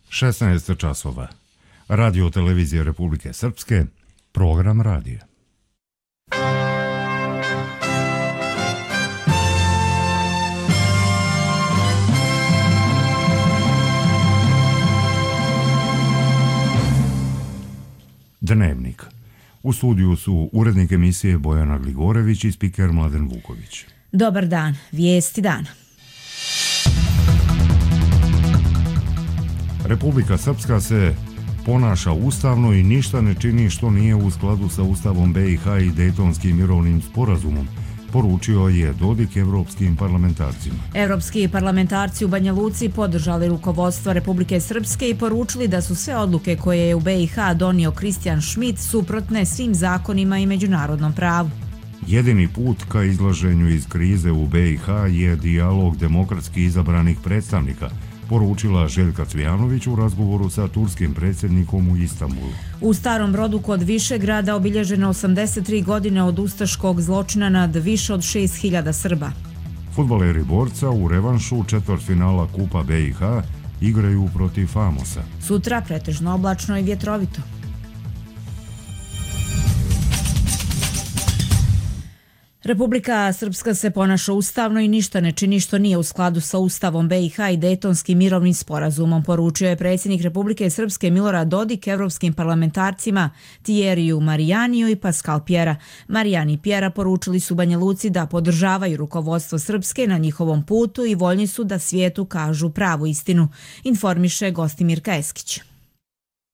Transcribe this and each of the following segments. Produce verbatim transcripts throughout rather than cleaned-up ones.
šesnaest časova. Radio televizije Republike Srpske, program radija. Dnevnik. U studiju su urednik emisije Bojana Gligorević i spiker Mladen Vuković. Dobar dan, vijesti dana. Republika Srpska se ponaša ustavno i ništa ne čini što nije u skladu sa Ustavom B i H i Dejtonskim mirovnim sporazumom, poručio je Dodik evropskim parlamentarcima. Evropski parlamentarci u Banja Luci podržali rukovodstvo Republike Srpske i poručili da su sve odluke koje je u B i H donio Kristijan Šmit suprotne svim zakonima i međunarodnom pravu. Jedini put ka izlaženju iz krize u B i H je dijalog demokratski izabranih predstavnika, poručila Željka Cvijanović u razgovoru sa turskim predsjednikom u Istanbulu. U Starom Brodu kod Višegrada obilježeno osamdeset tri godine od ustaškog zločina nad više od šest hiljada Srba. Fudbaleri Borca u revanšu četvrtfinala Kupa B i H igraju protiv Famosa. Sutra pretežno oblačno i vjetrovito. Republika Srpska se ponaša ustavno i ništa ne čini što nije u skladu sa Ustavom B i H i Dejtonskim mirovnim sporazumom, poručio je predsjednik Republike Srpske Milorad Dodik evropskim parlamentarcima Thierriju Marijaniju i Pascal Pjera. Marijani i Pjera poručili su Banja Luci da podržavaju rukovodstvo Srpske na njihovom putu i voljni su da svijetu kažu pravu istinu, informiše Gostimirka Eskić.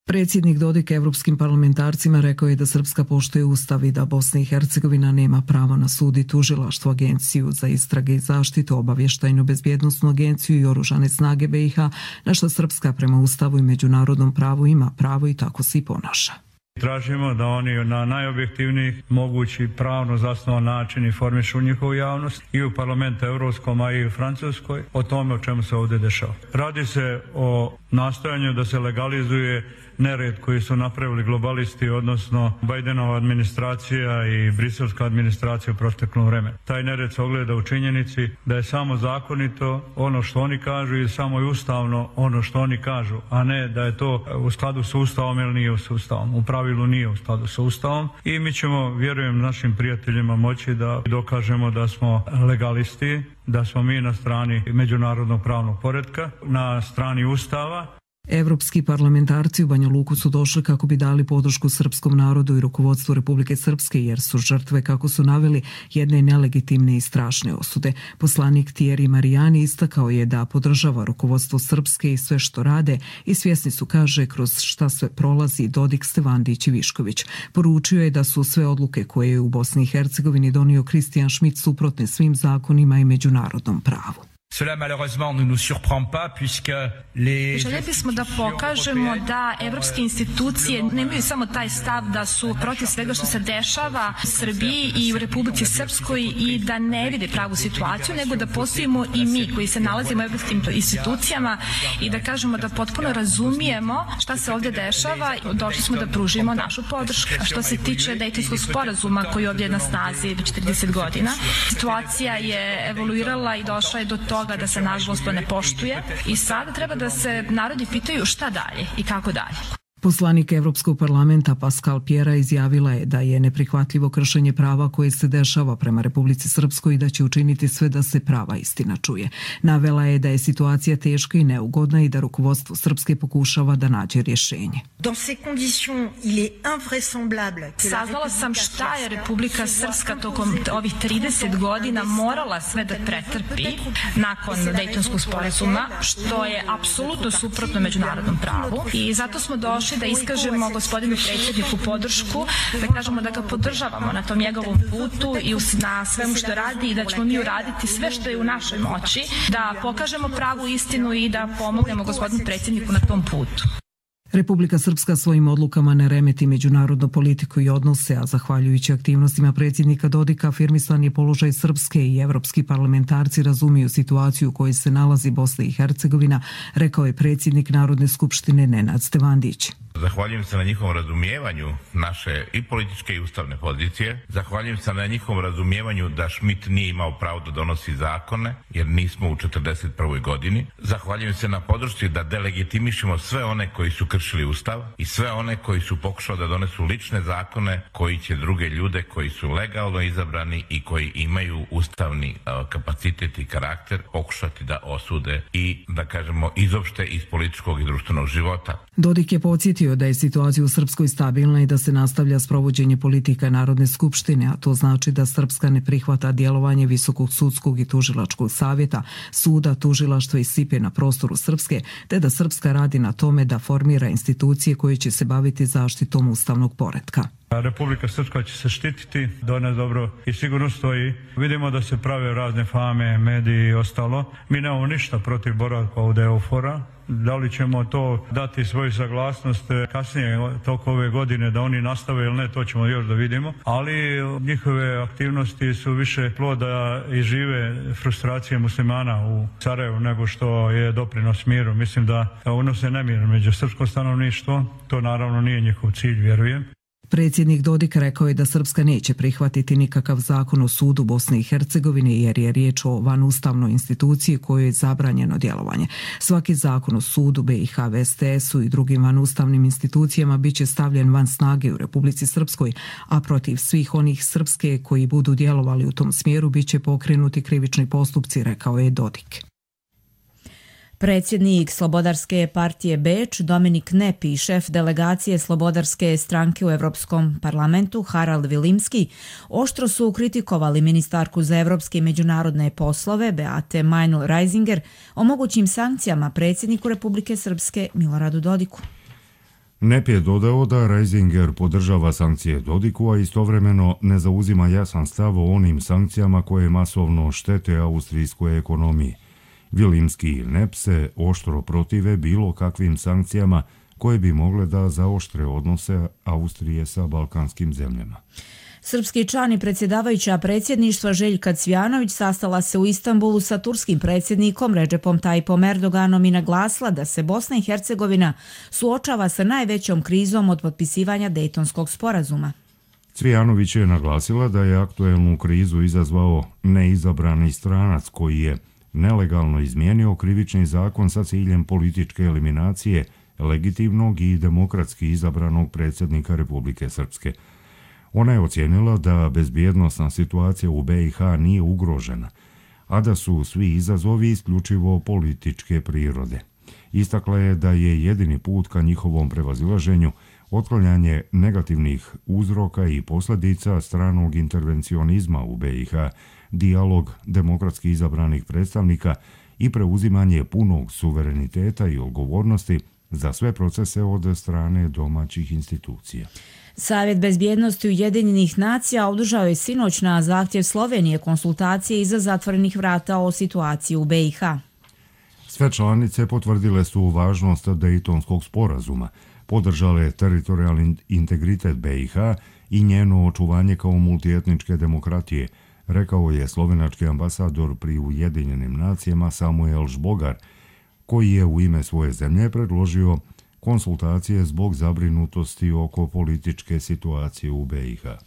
Predsjednik Dodik evropskim parlamentarcima rekao je da Srpska poštuje ustav i da Bosna i Hercegovina nema pravo na sud i tužilaštvo, agenciju za istrage i zaštitu, obavještajnu bezbjednosnu agenciju i oružane snage B i H, na što Srpska prema ustavu i međunarodnom pravu ima pravo i tako se i ponaša. Tražimo da oni na najobjektivniji mogući pravno zasnovan način informišu njihovu javnost i u parlamentu evropskom, a i u Francuskoj o tome o čemu se ovdje dešava. Radi se o nastojanju da se legalizuje nered koji su napravili globalisti, odnosno Bajdenova administracija i briselska administracija u proteklom vremenu. Taj nered se ogleda u činjenici da je samo zakonito ono što oni kažu i samo je ustavno ono što oni kažu, a ne da je to u skladu s ustavom ili nije s ustavom. U pravilu nije u skladu s ustavom i mi ćemo, vjerujem, našim prijateljima moći da dokažemo da smo legalisti, da smo mi na strani međunarodnog pravnog poretka, na strani ustava. Evropski parlamentarci u Banja Luku su došli kako bi dali podršku srpskom narodu i rukovodstvu Republike Srpske, jer su žrtve, kako su naveli, jedne nelegitimne i strašne osude. Poslanik Thierry Marijani istakao je da podržava rukovodstvo Srpske i sve što rade i svjesni su, kaže, kroz šta sve prolazi Dodik, Stevandić i Višković. Poručio je da su sve odluke koje je u Bosni i Hercegovini donio Kristijan Šmit suprotne svim zakonima i međunarodnom pravu. Cela malheureusement ne nous surprend pas puisque les Željeli bismo da pokažemo da evropske institucije nemaju samo taj stav da su protiv svega što se dešava u Srbiji i u Republici Srpskoj i da ne vide pravu situaciju, nego da postojimo i mi koji se nalazimo u evropskim institucijama i da kažemo da potpuno razumijemo šta se ovdje dešava. Došli smo da pružimo našu podršku. A što se tiče Dejtonskog sporazuma koji je ovdje na snazi već četrdeset godina, situacija je evoluirala i došla je do toga da se nažalost to ne poštuje i sada treba da se narodi pitaju šta dalje i kako dalje. Poslanik Evropskog parlamenta Pascal Pjera izjavila je da je neprihvatljivo kršenje prava koje se dešava prema Republici Srpskoj i da će učiniti sve da se prava istina čuje. Navela je da je situacija teška i neugodna i da rukovodstvo Srpske pokušava da nađe rješenje. Saznala sam šta je Republika Srpska tokom ovih trideset godina morala sve da pretrpi nakon Dejtonskog sporazuma, što je apsolutno suprotno međunarodnom pravu i zato smo došli da iskažemo gospodinu predsjedniku podršku, da kažemo da ga podržavamo na tom njegovom putu i na svemu što radi i da ćemo mi uraditi sve što je u našoj moći, da pokažemo pravu istinu i da pomognemo gospodinu predsjedniku na tom putu. Republika Srpska svojim odlukama ne remeti međunarodnu politiku i odnose, a zahvaljujući aktivnostima predsjednika Dodika afirmisan je položaj Srpske i evropski parlamentarci razumiju situaciju u kojoj se nalazi Bosna i Hercegovina, rekao je predsjednik Narodne skupštine Nenad Stevandić. Zahvaljujem se na njihovom razumijevanju naše i političke i ustavne pozicije. Zahvaljujem se na njihovom razumijevanju da Schmidt nije imao pravo da donosi zakone, jer nismo u četrdeset prvoj godini. Zahvaljujem se na podršci da delegitimišemo sve one koji su kršili ustav i sve one koji su pokušali da donesu lične zakone koji će druge ljude koji su legalno izabrani i koji imaju ustavni kapacitet i karakter pokušati da osude i da kažemo izopšte iz političkog i društvenog života. Dodik je podsjetio da je situacija u Srpskoj stabilna i da se nastavlja sprovođenje politika Narodne skupštine, a to znači da Srpska ne prihvata djelovanje Visokog sudskog i tužilačkog savjeta, suda, tužilaštva i S I P-e na prostoru Srpske, te da Srpska radi na tome da formira institucije koje će se baviti zaštitom ustavnog poretka. Republika Srpska će se štititi, da ona dobro i sigurno stoji. Vidimo da se prave razne fame, mediji i ostalo. Mi nemamo ništa protiv boravka ovdje EUFOR-a. Da li ćemo to dati svoju saglasnost kasnije toko ove godine da oni nastave ili ne, to ćemo još da vidimo. Ali njihove aktivnosti su više ploda i žive frustracije muslimana u Sarajevu nego što je doprinos miru. Mislim da unose nemir među srpsko stanovništvo. To naravno nije njihov cilj, vjerujem. Predsjednik Dodik rekao je da Srpska neće prihvatiti nikakav zakon o sudu Bosne i Hercegovine jer je riječ o vanustavnoj instituciji kojoj je zabranjeno djelovanje. Svaki zakon o sudu B i H, V S T S-u i drugim vanustavnim institucijama bit će stavljen van snage u Republici Srpskoj, a protiv svih onih Srpske koji budu djelovali u tom smjeru bit će pokrenuti krivični postupci, rekao je Dodik. Predsjednik Slobodarske partije Beč, Dominik Nepi i šef delegacije Slobodarske stranke u Europskom parlamentu, Harald Vilimski, oštro su kritikovali ministarku za evropske i međunarodne poslove, Beate Meinl-Reisinger, o mogućim sankcijama predsjedniku Republike Srpske Miloradu Dodiku. Nepi je dodao da Reisinger podržava sankcije Dodiku, a istovremeno ne zauzima jasan stav o onim sankcijama koje masovno štete austrijskoj ekonomiji. Vilimski i Nep se oštro protive bilo kakvim sankcijama koje bi mogle da zaoštre odnose Austrije sa balkanskim zemljama. Srpski član i predsjedavajuća predsjedništva Željka Cvijanović sastala se u Istanbulu sa turskim predsjednikom Recepom Tayyipom Erdoganom i naglasila da se Bosna i Hercegovina suočava sa najvećom krizom od potpisivanja Dejtonskog sporazuma. Cvijanović je naglasila da je aktuelnu krizu izazvao neizabrani stranac koji je nelegalno izmijenio krivični zakon sa ciljem političke eliminacije legitimnog i demokratski izabranog predsjednika Republike Srpske. Ona je ocijenila da bezbjednosna situacija u B i H nije ugrožena, a da su svi izazovi isključivo političke prirode. Istakla je da je jedini put ka njihovom prevazilaženju otklanjanje negativnih uzroka i posljedica stranog intervencionizma u B i H, dijalog demokratski izabranih predstavnika i preuzimanje punog suvereniteta i odgovornosti za sve procese od strane domaćih institucija. Savjet bezbjednosti Ujedinjenih nacija održao je sinoć na zahtjev Slovenije konsultacije iza zatvorenih vrata o situaciji u B i H. Sve članice potvrdile su važnost Dejtonskog sporazuma, podržale teritorijalni integritet B i H i njeno očuvanje kao multietničke demokratije, rekao je slovenački ambasador pri Ujedinjenim nacijama Samuel Žbogar, koji je u ime svoje zemlje predložio konsultacije zbog zabrinutosti oko političke situacije u B i H.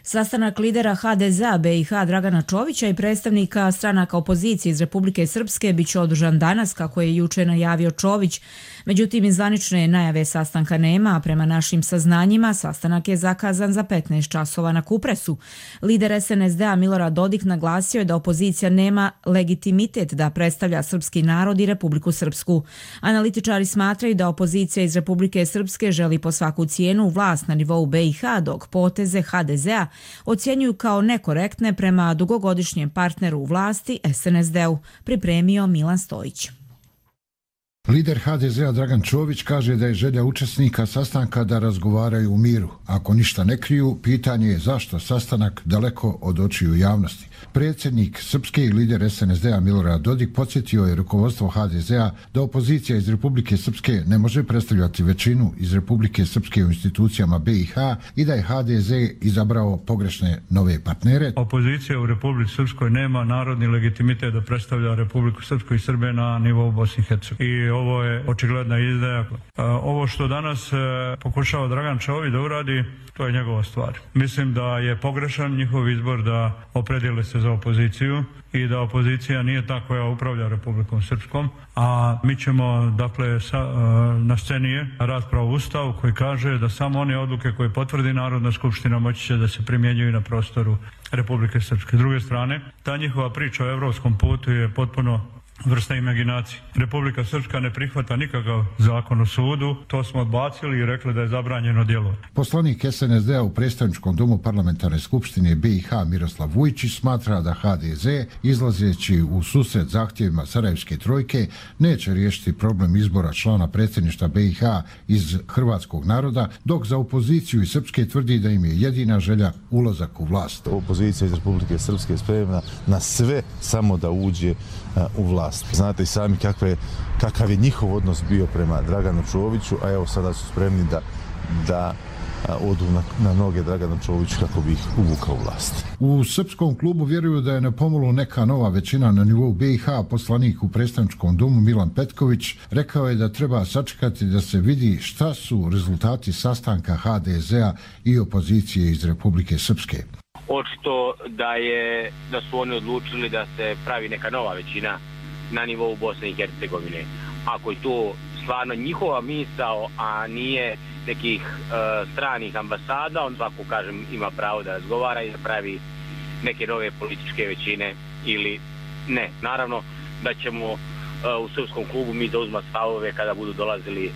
Sastanak lidera H D Z-a B i H Dragana Čovića i predstavnika stranaka opozicije iz Republike Srpske biće održan danas, kako je juče najavio Čović. Međutim, zvanične najave sastanka nema, a prema našim saznanjima sastanak je zakazan za petnaest časova na Kupresu. Lider S N S D-a Milorad Dodik naglasio je da opozicija nema legitimitet da predstavlja srpski narod i Republiku Srpsku. Analitičari smatraju da opozicija iz Republike Srpske želi po svaku cijenu vlast na nivou B i H, dok poteze H D Z-a ocjenjuju kao nekorektne prema dugogodišnjem partneru u vlasti S N S D-u, pripremio Milan Stojić. Lider H D Z-a Dragan Čović kaže da je želja učesnika sastanka da razgovaraju u miru. Ako ništa ne kriju, pitanje je zašto sastanak daleko od očiju javnosti. Predsjednik Srpske i lider S N S D-a Milorad Dodik podsjetio je rukovodstvo H D Z-a da opozicija iz Republike Srpske ne može predstavljati većinu iz Republike Srpske u institucijama B i H i da je H D Z izabrao pogrešne nove partnere. Opozicija u Republici Srpskoj nema narodni legitimitet da predstavlja Republiku Srpsku i Srbe na nivou Bosne i Hercegovine. I ovo je očigledna izdaja. Ovo što danas pokušava Dragan Čović da uradi, to je njegova stvar. Mislim da je pogrešan njihov izbor da opredijele se za opoziciju i da opozicija nije ta koja upravlja Republikom Srpskom, a mi ćemo, dakle, sa, na sceni je rasprava o Ustavu koji kaže da samo one odluke koje potvrdi Narodna skupština moći će da se primjenjuju na prostoru Republike Srpske. S druge strane, ta njihova priča o evropskom putu je potpuno vrsta imaginacije. Republika Srpska ne prihvata nikakav zakon o sudu, to smo odbacili i rekli da je zabranjeno djelo. Poslanik S N S D-a u predstavničkom domu parlamentarne skupštine B i H Miroslav Vujčić smatra da H D Z, izlazeći u susret zahtjevima Sarajevske trojke, neće riješiti problem izbora člana predsjedništva B i H iz hrvatskog naroda, dok za opoziciju iz Srpske tvrdi da im je jedina želja ulazak u vlast. Opozicija iz Republike Srpske je spremna na sve samo da uđe u vlast. Znate i sami kakve, kakav je njihov odnos bio prema Draganu Čoviću, a evo sada su spremni da, da odu na, na noge Draganu Čoviću kako bi ih uvukao u vlast. U srpskom klubu vjeruju da je na pomolu neka nova većina na nivou B i H. Poslanik u predstavničkom domu Milan Petković rekao je da treba sačekati da se vidi šta su rezultati sastanka H D Z-a i opozicije iz Republike Srpske. Očito da je da su oni odlučili da se pravi neka nova većina na nivou Bosne i Hercegovine. Ako je to stvarno njihova misao, a nije nekih uh, stranih ambasada, on svako, kažem, ima pravo da razgovara i da pravi neke nove političke većine ili ne. Naravno da ćemo uh, u srpskom klubu mi zauzmati stavove kada budu dolazili uh,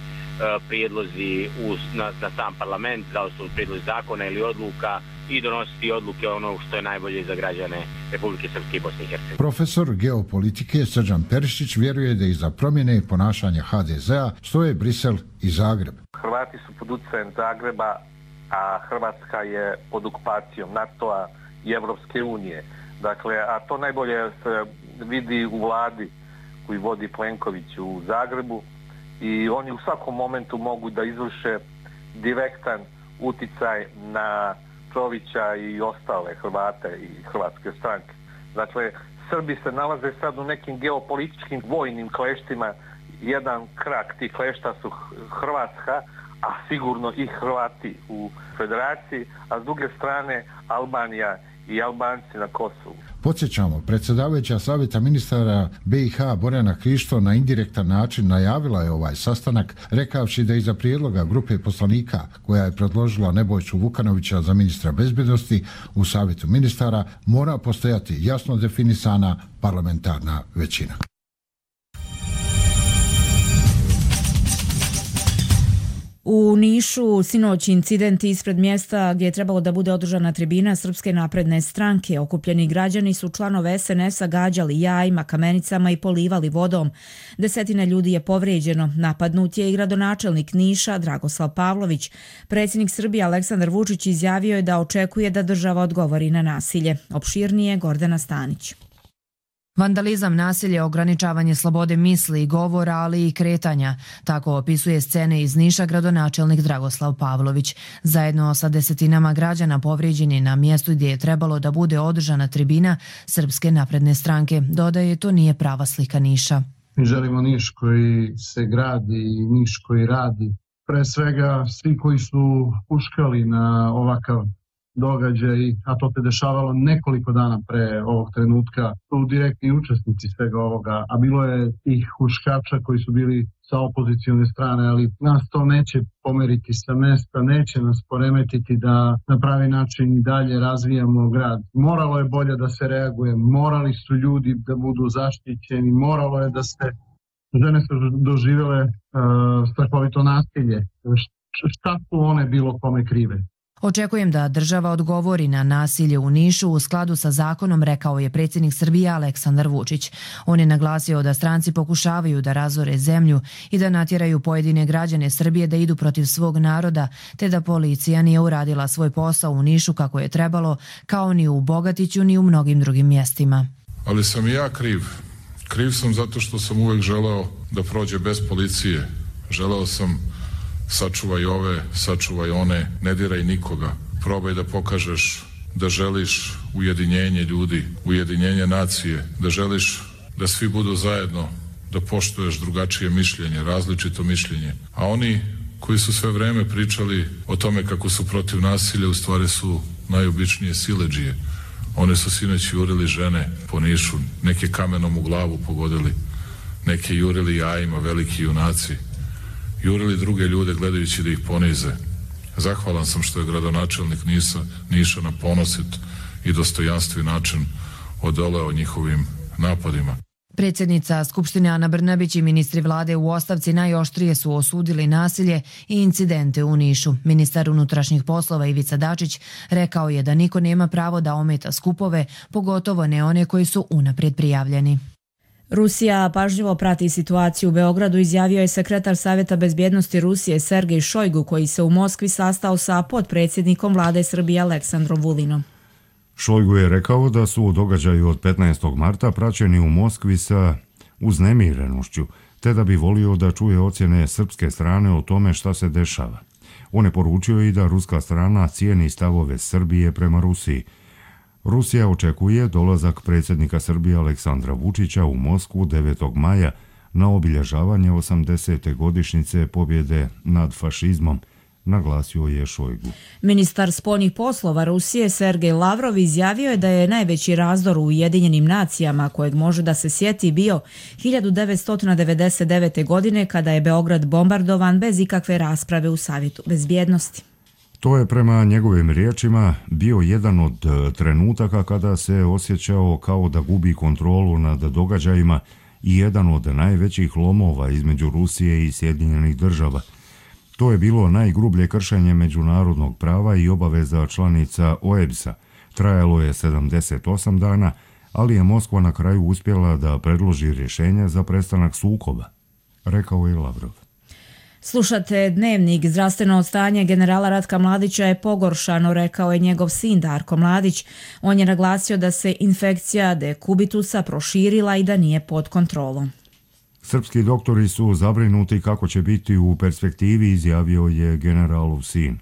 prijedlozi u, na, na sam parlament, da li su prijedlozi zakona ili odluka, i donositi odluke ono što je najbolje za građane Republike Srpske i Bosne i Hercegovine. Profesor geopolitike Srđan Perišić vjeruje da iza promjene ponašanja H D Z-a stoje Brisel i Zagreb. Hrvati su pod utjecajem Zagreba, a Hrvatska je pod okupacijom NATO-a i Evropske unije. Dakle, a to najbolje se vidi u vladi koju vodi Plenković u Zagrebu i oni u svakom momentu mogu da izvrše direktan uticaj na Čovića i ostale Hrvate i hrvatske stranke. Dakle, Srbi se nalaze sad u nekim geopolitičkim vojnim kleštima. Jedan krak tih klešta su Hrvatska, a sigurno i Hrvati u federaciji, a s druge strane Albanija i Albanci na Kosovu. Podsjećamo, predsjedavajuća savjeta ministara B i H Borjana Krišto na indirektan način najavila je ovaj sastanak, rekavši da iza prijedloga grupe poslanika koja je predložila Nebojšu Vukanovića za ministra bezbjednosti u savjetu ministara mora postojati jasno definisana parlamentarna većina. U Nišu sinoć incident ispred mjesta gdje je trebalo da bude održana tribina Srpske napredne stranke. Okupljeni građani su članove S N S-a gađali jajima, kamenicama i polivali vodom. Desetine ljudi je povrijeđeno. Napadnut je i gradonačelnik Niša Dragoslav Pavlović. Predsjednik Srbije Aleksandar Vučić izjavio je da očekuje da država odgovori na nasilje. Opširnije Gordana Stanić. Vandalizam, nasilje, ograničavanje slobode misli i govora, ali i kretanja. Tako opisuje scene iz Niša gradonačelnik Dragoslav Pavlović. Zajedno sa desetinama građana povrijeđeni na mjestu gdje je trebalo da bude održana tribina Srpske napredne stranke. Dodaje, to nije prava slika Niša. Mi želimo Niš koji se gradi i Niš koji radi. Pre svega svi koji su uškali na ovakav događaj, a to se dešavalo nekoliko dana pre ovog trenutka, su direktni učesnici svega ovoga, a bilo je tih huškača koji su bili sa opozicione strane, ali nas to neće pomeriti sa mesta, neće nas poremetiti da na pravi način i dalje razvijamo grad. Moralo je bolje da se reaguje, morali su ljudi da budu zaštićeni, moralo je da se žene su doživjele uh, strahovito nasilje. Šta su one bilo kome krive? Očekujem da država odgovori na nasilje u Nišu u skladu sa zakonom, rekao je predsjednik Srbije Aleksandar Vučić. On je naglasio da stranci pokušavaju da razore zemlju i da natjeraju pojedine građane Srbije da idu protiv svog naroda, te da policija nije uradila svoj posao u Nišu kako je trebalo, kao ni u Bogatiću ni u mnogim drugim mjestima. Ali sam i ja kriv. Kriv sam zato što sam uvek želeo da prođe bez policije. Želeo sam sačuvaj ove, sačuvaj one, ne diraj nikoga. Probaj da pokažeš da želiš ujedinjenje ljudi, ujedinjenje nacije, da želiš da svi budu zajedno, da poštuješ drugačije mišljenje, različito mišljenje. A oni koji su sve vreme pričali o tome kako su protiv nasilja, u stvari su najobičnije siledžije. One su sinoć jurili žene po Nišu, neke kamenom u glavu pogodili, neke jurili jajima, veliki junaci. Jurili druge ljude gledajući da ih ponize. Zahvalan sam što je gradonačelnik Niša, Niša na ponosit i dostojanstven način odoleo njihovim napadima. Predsjednica Skupštine Ana Brnabić i ministri vlade u ostavci najoštrije su osudili nasilje i incidente u Nišu. Ministar unutrašnjih poslova Ivica Dačić rekao je da niko nema pravo da ometa skupove, pogotovo ne one koji su unaprijed prijavljeni. Rusija pažljivo prati situaciju u Beogradu, izjavio je sekretar Savjeta bezbjednosti Rusije Sergej Šojgu, koji se u Moskvi sastao sa potpredsjednikom vlade Srbije Aleksandrom Vulinom. Šojgu je rekao da su događaji od petnaestog marta praćeni u Moskvi sa uznemirenošću, te da bi volio da čuje ocjene srpske strane o tome šta se dešava. On je poručio i da ruska strana cijeni stavove Srbije prema Rusiji. Rusija očekuje dolazak predsjednika Srbije Aleksandra Vučića u Moskvu devetog maja na obilježavanje osamdesete godišnjice pobjede nad fašizmom, naglasio je Šojgu. Ministar spoljnih poslova Rusije Sergej Lavrov izjavio je da je najveći razdor u Ujedinjenim nacijama kojeg može da se sjeti bio hiljadu devetsto devedeset devete. godine kada je Beograd bombardovan bez ikakve rasprave u Savjetu bezbjednosti. To je prema njegovim riječima bio jedan od trenutaka kada se osjećao kao da gubi kontrolu nad događajima i jedan od najvećih lomova između Rusije i Sjedinjenih država. To je bilo najgrublje kršenje međunarodnog prava i obaveza članica O E B S-a. Trajalo je sedamdeset osam dana, ali je Moskva na kraju uspjela da predloži rješenje za prestanak sukoba, rekao je Lavrov. Slušate Dnevnik. Zdravstveno stanje generala Ratka Mladića je pogoršano, rekao je njegov sin Darko Mladić. On je naglasio da se infekcija dekubitusa proširila i da nije pod kontrolom. Srpski doktori su zabrinuti kako će biti u perspektivi, izjavio je generalov sin.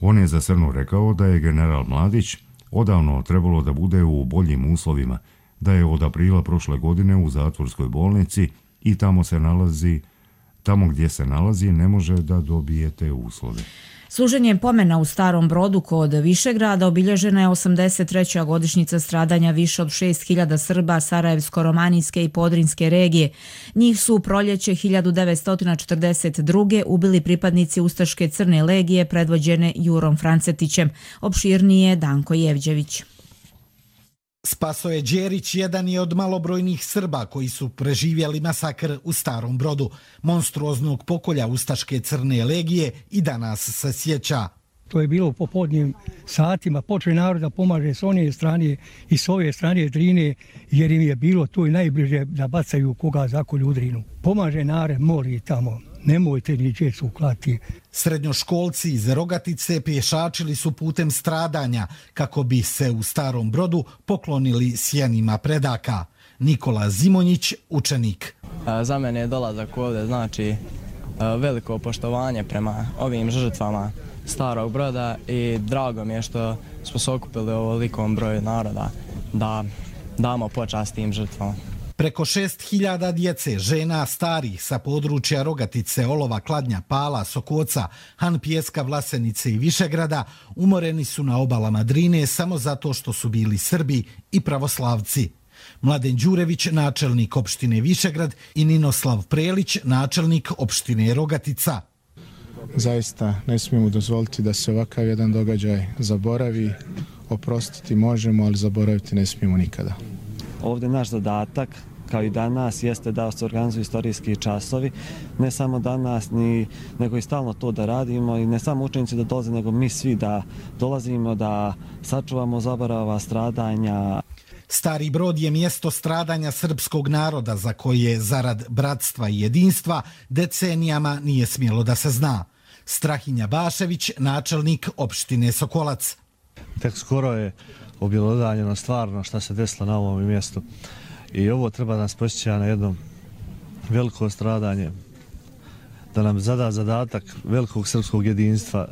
On je za Crno rekao da je general Mladić odavno trebalo da bude u boljim uslovima, da je od aprila prošle godine u zatvorskoj bolnici i tamo se nalazi Tamo gdje se nalazi ne može da dobije te uslove. Služenjem pomena u Starom Brodu kod Višegrada obilježena je osamdeset treća godišnjica stradanja više od šest hiljada Srba Sarajevsko-romanijske i Podrinjske regije. Njih su u proljeće hiljadu devetsto četrdeset druge. ubili pripadnici Ustaške crne legije predvođene Jurom Francetićem. Opširnije Danko Jevđević. Spasoje Đerić jedan je od malobrojnih Srba koji su preživjeli masakr u Starom Brodu. Monstruoznog pokolja Ustaške crne legije i danas se sjeća. To je bilo u popodnjim satima. Počeo narod da pomaže s one strane i s ove strane Drine, jer im je bilo to i najbliže da bacaju koga zakolju u Drinu. Pomaže narod, mori tamo. Nemojte ni djecu klati. Srednjoškolci iz Rogatice pješačili su putem stradanja kako bi se u Starom Brodu poklonili sjenima predaka. Nikola Zimonjić, učenik. Za mene je dolazak ovdje znači veliko poštovanje prema ovim žrtvama Starog Broda i drago mi je što smo se okupili u ovolikom broju naroda da damo počast tim žrtvama. Preko šest hiljada djece, žena, starih sa područja Rogatice, Olova, Kladnja, Pala, Sokoca, Han Pijeska, Vlasenice i Višegrada umoreni su na obalama Drine samo zato što su bili Srbi i pravoslavci. Mladen Đurević, načelnik opštine Višegrad, i Ninoslav Prelić, načelnik opštine Rogatica. Zaista ne smijemo dozvoliti da se ovakav jedan događaj zaboravi. Oprostiti možemo, ali zaboraviti ne smijemo nikada. Ovdje naš zadatak, kao i danas, jeste da se organizuju istorijski časovi. Ne samo danas, ni, nego i stalno to da radimo i ne samo učenici da dolaze, nego mi svi da dolazimo, da sačuvamo zaborava, stradanja. Stari Brod je mjesto stradanja srpskog naroda za koje zarad bratstva i jedinstva decenijama nije smjelo da se zna. Strahinja Bašević, načelnik opštine Sokolac. Tek skoro je objelodanjeno stvarno šta se desilo na ovom mjestu i ovo treba nas posjeća na jedno veliko stradanje, da nam zada zadatak velikog srpskog jedinstva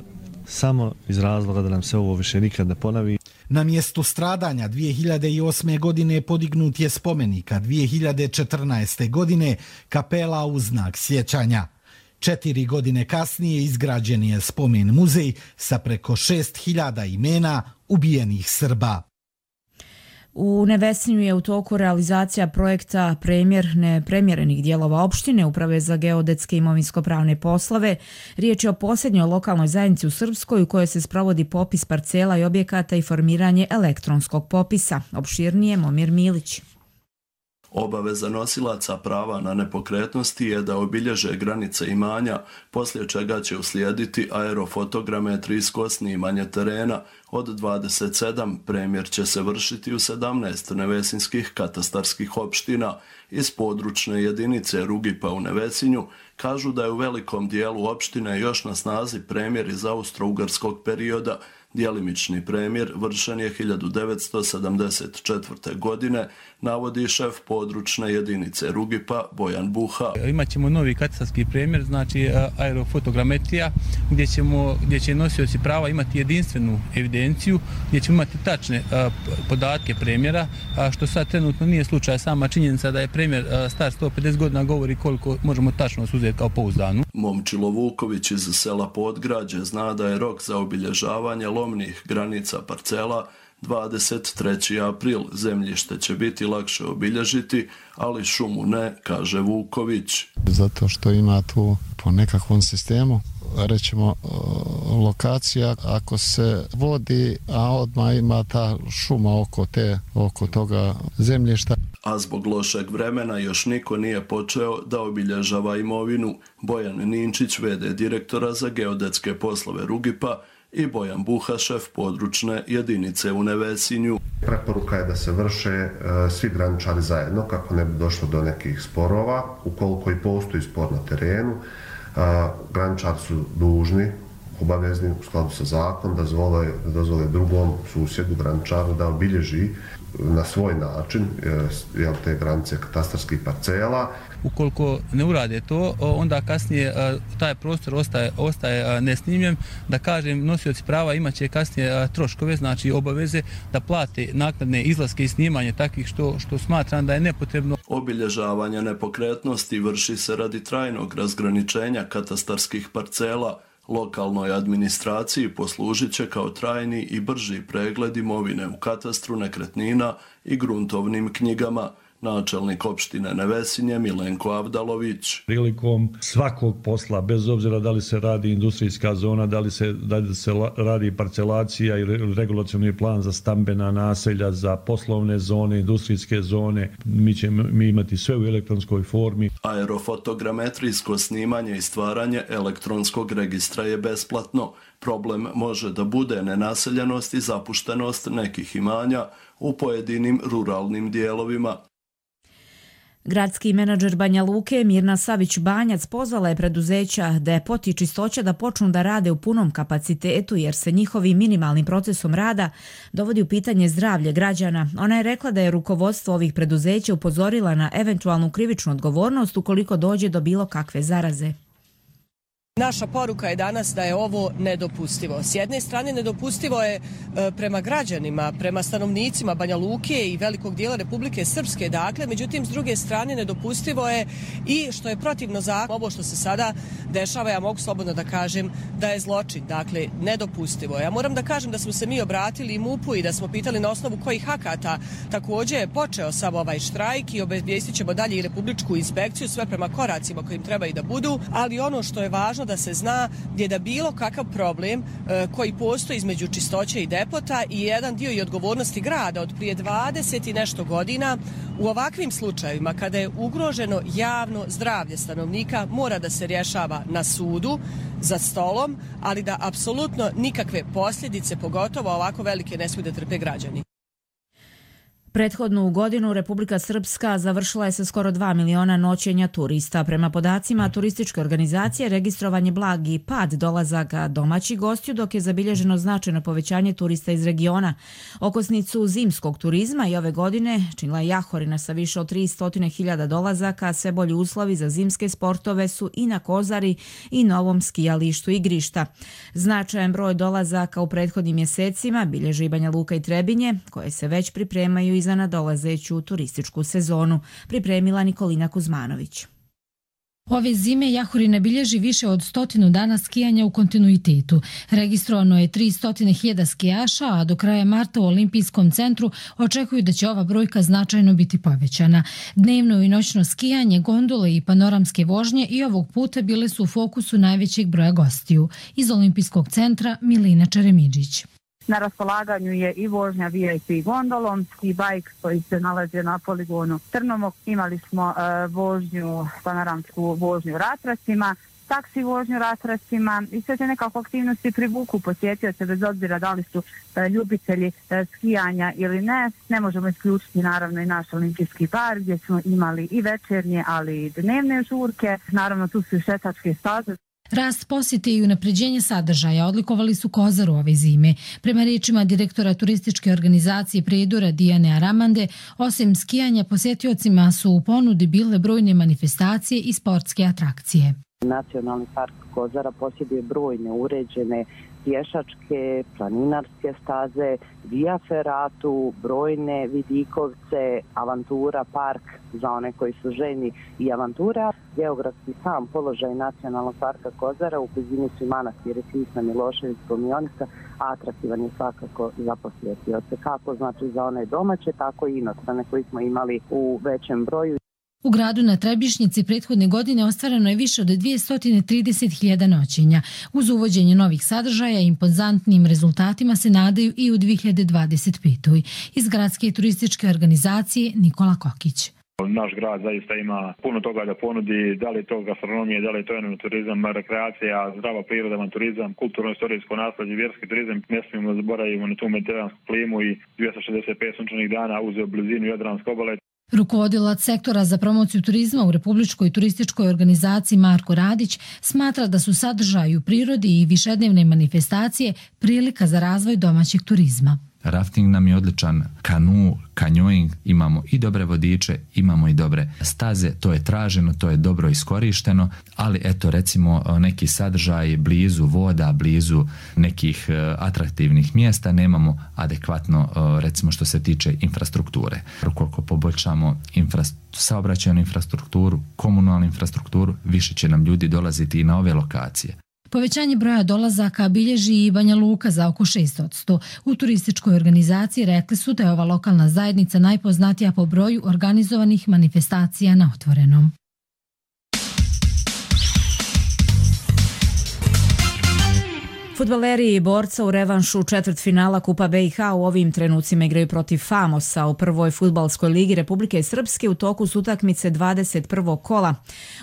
samo iz razloga da nam se ovo više nikad ne ponovi. Na mjestu stradanja dvije hiljade osme. godine podignut je spomenik, a dvije hiljade četrnaeste. godine kapela u znak sjećanja. Četiri godine kasnije izgrađen je spomen muzej sa preko šest hiljada imena ubijenih Srba. U Nevesinju je u toku realizacija projekta premjer nepremjerenih dijelova opštine Uprave za geodetske imovinsko-pravne poslove. Riječ je o posljednjoj lokalnoj zajednici u Srpskoj u kojoj se sprovodi popis parcela i objekata i formiranje elektronskog popisa. Opširnije Momir Milić. Obaveza nosilaca prava na nepokretnosti je da obilježe granice imanja, poslije čega će uslijediti aerofotogrametrijsko snimanje terena. Od dvadeset sedam premjer će se vršiti u sedamnaest nevesinskih katastarskih opština. Iz područne jedinice Rugipa u Nevesinju kažu da je u velikom dijelu opštine još na snazi premjer iz austro-ugarskog perioda. Djelimični premjer vršen je hiljadu devetsto sedamdeset četvrte. godine, navodi šef područne jedinice Rugipa Bojan Buha. Imaćemo novi katastarski premjer, znači aerofotogrametrija, gdje, ćemo, gdje će nosioci prava imati jedinstvenu evidenciju, gdje ćemo imati tačne a, podatke premjera, a što sad trenutno nije slučaj. Sama činjenica da je premjer a, star sto pedeset godina govori koliko možemo tačno uzeti kao pouzdanu. Momčilo Vuković iz sela Podgrađe zna da je rok za obilježavanje lomnih granica parcela dvadeset treći april. Zemljište će biti lakše obilježiti, ali šumu ne, kaže Vuković. Zato što ima tu po nekakvom sistemu, rećemo, lokacija, ako se vodi, a odmah ima ta šuma oko, te, oko toga zemljišta. A zbog lošeg vremena još niko nije počeo da obilježava imovinu. Bojan Ninčić, ve de direktora za geodetske poslove Rugipa, i Bojan Buha, šef područne jedinice u Nevesinju. Preporuka je da se vrše e, svi graničari zajedno kako ne bi došlo do nekih sporova. Ukoliko i postoji spor na terenu, a, graničari su dužni, obavezni u skladu sa zakon da dozvole, da dozvole drugom susjedu, graničaru, da obilježi na svoj način jel, te granice katastarskih parcela. Ukoliko ne urade to, onda kasnije taj prostor ostaje, ostaje nesnimljen. Da kažem, nosioci prava imaće kasnije troškove, znači obaveze da plate naknadne izlaske i snimanje takvih što, što smatram da je nepotrebno. Obilježavanje nepokretnosti vrši se radi trajnog razgraničenja katastarskih parcela. Lokalnoj administraciji poslužit će kao trajni i brži pregled imovine u katastru nekretnina i gruntovnim knjigama. Načelnik opštine Nevesinje Milenko Avdalović. Prilikom svakog posla, bez obzira da li se radi industrijska zona, da li se, da li se radi parcelacija ili regulacioni plan za stambena naselja, za poslovne zone, industrijske zone, mi ćemo mi imati sve u elektronskoj formi. Aerofotogrametrijsko snimanje i stvaranje elektronskog registra je besplatno. Problem može da bude nenaseljenost i zapuštenost nekih imanja u pojedinim ruralnim dijelovima. Gradski menadžer Banja Luke Mirna Savić-Banjac pozvala je preduzeća Depot i Čistoća da počnu da rade u punom kapacitetu jer se njihovim minimalnim procesom rada dovodi u pitanje zdravlje građana. Ona je rekla da je rukovodstvo ovih preduzeća upozorila na eventualnu krivičnu odgovornost ukoliko dođe do bilo kakve zaraze. Naša poruka je danas da je ovo nedopustivo. S jedne strane nedopustivo je prema građanima, prema stanovnicima Banja Luke i velikog dijela Republike Srpske, dakle, međutim s druge strane nedopustivo je i što je protivno zakonu. Ovo što se sada dešava, ja mogu slobodno da kažem da je zločin, dakle nedopustivo. Ja moram da kažem da smo se mi obratili i MUP-u i da smo pitali na osnovu kojih akata također je počeo sav ovaj štrajk i obezvijestit ćemo dalje i Republičku inspekciju, sve prema koracima kojim treba i da budu, ali ono što je važno da se zna je da bilo kakav problem e, koji postoji između Čistoće i Depota i jedan dio i odgovornosti grada od prije dvadeset i nešto godina u ovakvim slučajevima kada je ugroženo javno zdravlje stanovnika mora da se rješava na sudu za stolom, ali da apsolutno nikakve posljedice, pogotovo ovako velike, ne smiju da trpe građani. Prethodnu godinu Republika Srpska završila je sa skoro dva miliona noćenja turista. Prema podacima turističke organizacije registrovan je blagi pad dolazaka domaćih gostiju, dok je zabilježeno značajno povećanje turista iz regiona. Okosnicu zimskog turizma i ove godine činila je Jahorina sa više od tristo hiljada dolazaka, a sve bolji uslovi za zimske sportove su i na Kozari i novom skijalištu Igrišta. Značajan broj dolazaka u prethodnim mjesecima bilježi i Banja Luka i Trebinje, koje se već pripremaju i za nadolazeću turističku sezonu, pripremila Nikolina Kuzmanović. Ove zime Jahorina bilježi više od stotinu dana skijanja u kontinuitetu. Registrovano je tristo hiljada skijaša, a do kraja marta u Olimpijskom centru očekuju da će ova brojka značajno biti povećana. Dnevno i noćno skijanje, gondole i panoramske vožnje i ovog puta bile su u fokusu najvećeg broja gostiju. Iz Olimpijskog centra Milina Čeremidžić. Na raspolaganju je i vožnja V I P gondolom, ski bike koji se nalazi na poligonu Trnomok. Imali smo uh, vožnju, panoramsku vožnju ratracima, taksi vožnju ratracima i sve te nekako aktivnosti privuku posjetioce bez obzira da li su uh, ljubitelji uh, skijanja ili ne. Ne možemo isključiti naravno i naš olimpijski park gdje smo imali i večernje, ali i dnevne žurke. Naravno tu su i šetačke staze. Rast posjete i unapređenje sadržaja odlikovali su Kozaru ove zime. Prema riječima direktora turističke organizacije Prijedora Dijane Aramande, osim skijanja posjetiocima su u ponudi bile brojne manifestacije i sportske atrakcije. Nacionalni park Kozara posjeduje brojne uređene pješačke, planinarske staze, via feratu, brojne vidikovce, avantura park za one koji su željni i avantura. Geografski sam položaj Nacionalnog parka Kozara u blizini su manastiri Tisna, Milošević, Pomionica, a atraktivan je svakako za posjetioce, kako znači za one domaće, tako i inostrane koji smo imali u većem broju. U gradu na Trebišnjici prethodne godine ostvareno je više od dvjesto trideset hiljada noćenja. Uz uvođenje novih sadržaja i impozantnim rezultatima se nadaju i u dvije hiljade dvadeset petoj. Iz gradske turističke organizacije Nikola Kokić. Naš grad zaista ima puno toga da ponudi, da li je to gastronomije, da li je to turizam, rekreacija, zdrava priroda, turizam, kulturno-istorijsko nasljeđe, vjerski turizam. Ne smijemo zaboraviti na tu mediteransku klimu i dvjesto šezdeset pet sunčanih dana uz blizinu Jadranske obale. Rukovodilac sektora za promociju turizma u Republičkoj turističkoj organizaciji Marko Radić smatra da su sadržaji u prirodi i višednevne manifestacije prilika za razvoj domaćeg turizma. Rafting nam je odličan, kanu, kanjoing, imamo i dobre vodiče, imamo i dobre staze, to je traženo, to je dobro iskorišteno, ali eto recimo neki sadržaj blizu voda, blizu nekih atraktivnih mjesta nemamo adekvatno recimo što se tiče infrastrukture. Ukoliko poboljšamo infra- saobraćajnu infrastrukturu, komunalnu infrastrukturu, više će nam ljudi dolaziti i na ove lokacije. Povećanje broja dolazaka bilježi i Banja Luka za oko šest posto. U turističkoj organizaciji rekli su da je ova lokalna zajednica najpoznatija po broju organizovanih manifestacija na otvorenom. Fudbaleri Borca u revanšu četvrtfinala Kupa B i H u ovim trenucima igraju protiv Famosa u prvoj fudbalskoj ligi Republike Srpske u toku su utakmice dvadeset prvog kola.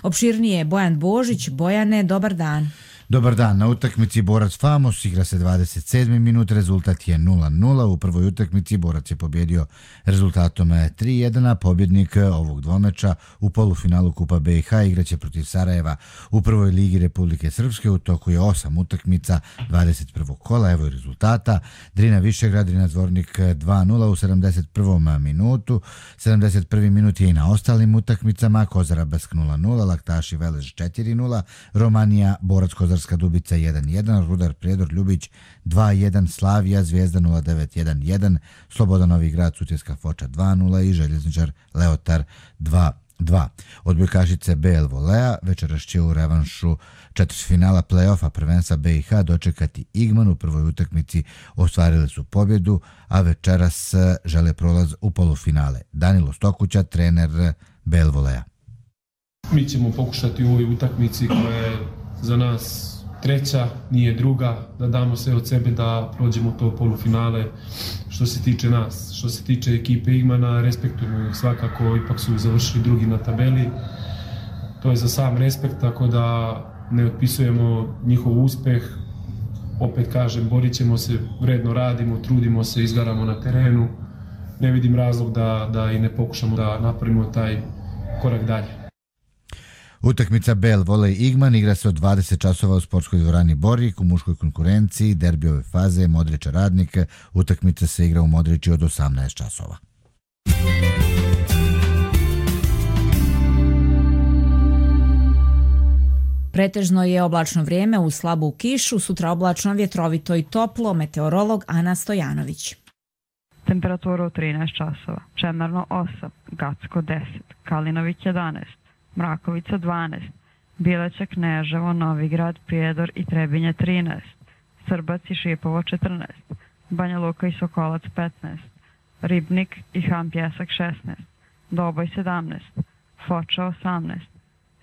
Opširnije Bojan Božić. Bojane, dobar dan. Dobar dan, na utakmici Borac Famos igra se dvadeset sedmi minut, rezultat je nula nula. U prvoj utakmici Borac je pobjedio rezultatom tri jedan, a pobjednik ovog dvomeča u polufinalu Kupa B i H igraće protiv Sarajeva u prvoj ligi Republike Srpske. U toku je osam utakmica dvadeset prvog kola, evo i rezultata. Drina Višegrad, Drina Zvornik dva nula u sedamdeset prvom minutu. sedamdeset prvi minut je i na ostalim utakmicama. Kozara Bask nula nula, Laktaši Velež četiri nula, Romanija Borac Kozarska Dubica jedan jedan, Rudar Prijedor Ljubić dva jedan, Slavija Zvijezda nula devet jedan jedan, Sloboda Novi Grad Sutjeska Foča dva nula i Željezničar Leotar dva dva. Odbojkašice B L Volea večeras će u revanšu četvrtfinala play-offa prvenstva B i H dočekati Igman. U prvoj utakmici ostvarili su pobjedu, a večeras žele prolaz u polufinale. Danilo Stokuća, trener B L Volea. Mi ćemo pokušati u ovoj utakmici koja je za nas treća, nije druga, da damo sve od sebe da prođemo to polufinale što se tiče nas. Što se tiče ekipe Igmana, respektujemo ih svakako, ipak su završili drugi na tabeli. To je za sam respekt, tako da ne otpisujemo njihov uspeh. Opet kažem, borit ćemo se, vredno radimo, trudimo se, izgaramo na terenu. ne vidim razlog da, da i ne pokušamo da napravimo taj korak dalje. Utakmica Bel Volej Igman igra se od dvadeset časova u sportskoj dvorani Borik u muškoj konkurenciji, derbi ove faze Modriča Radnik. Utakmica se igra u Modriči od osamnaest časova. Pretežno je oblačno vrijeme uz slabu kišu, sutra oblačno, vjetrovito i toplo, meteorolog Ana Stojanović. Temperatura u trinaest časova, Čemerno osam, Gacko deset, Kalinović jedanaest, Mrakovica dvanaest, Bileća, Kneževo, Novigrad, Prijedor i Trebinje trinaest, Srbac i Šipovo četrnaest, Banja Luka i Sokolac petnaest, Ribnik i Han Pjesak šesnaest, Doboj sedamnaest, Foča osamnaest,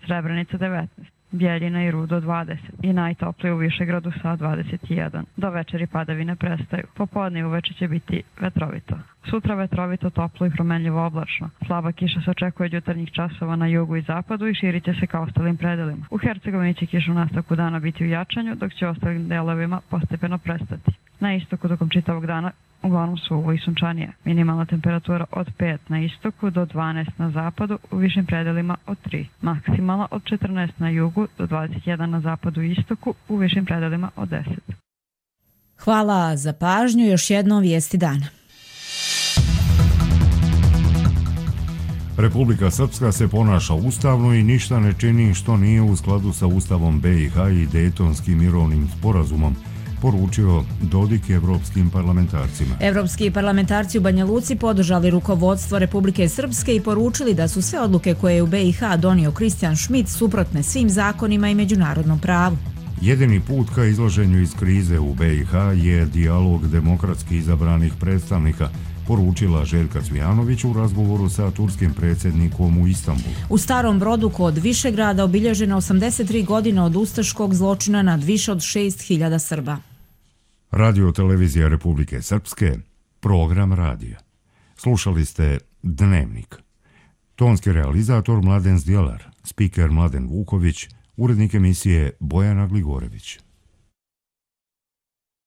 Srebrenica devetnaest, Bjeljina i Rudo dvadeset i najtoplije u Višegradu sa dvadeset jedan. Do večeri padavine prestaju. Popodne i uveče će biti vetrovito. Sutra vetrovito, toplo i promenljivo oblačno. Slaba kiša se očekuje od jutarnjih časova na jugu i zapadu i širit će se ka ostalim predelima. U Hercegovini će kiša u nastavku dana biti u jačanju, dok će ostalim delovima postepeno prestati. Na istoku tokom čitavog dana uglavnom suvo i sunčanije. Minimalna temperatura od pet na istoku do dvanaest na zapadu, u višim predelima od tri. Maksimalna od četrnaest na jugu do dvadeset jedan na zapadu i istoku, u višim predelima od deset. Hvala za pažnju, još jednom vijesti dana. Republika Srpska se ponaša ustavno i ništa ne čini što nije u skladu sa Ustavom B i H i Dejtonskim mirovnim sporazumom, poručio Dodik evropskim parlamentarcima. Evropski parlamentarci u Banja Luci podržali rukovodstvo Republike Srpske i poručili da su sve odluke koje je u B i H donio Kristijan Šmit suprotne svim zakonima i međunarodnom pravu. Jedini put ka izlaženju iz krize u B i H je dijalog demokratski izabranih predstavnika, poručila Željka Cvijanović u razgovoru sa turskim predsjednikom u Istanbulu. U Starom Brodu kod Višegrada obilježena osamdeset tri godine od ustaškog zločina nad više od šest hiljada Srba. Radio televizija Republike Srpske, program radija. Slušali ste Dnevnik. Tonski realizator Mladen Zdjelar, spiker Mladen Vuković, urednik emisije Bojana Gligorević.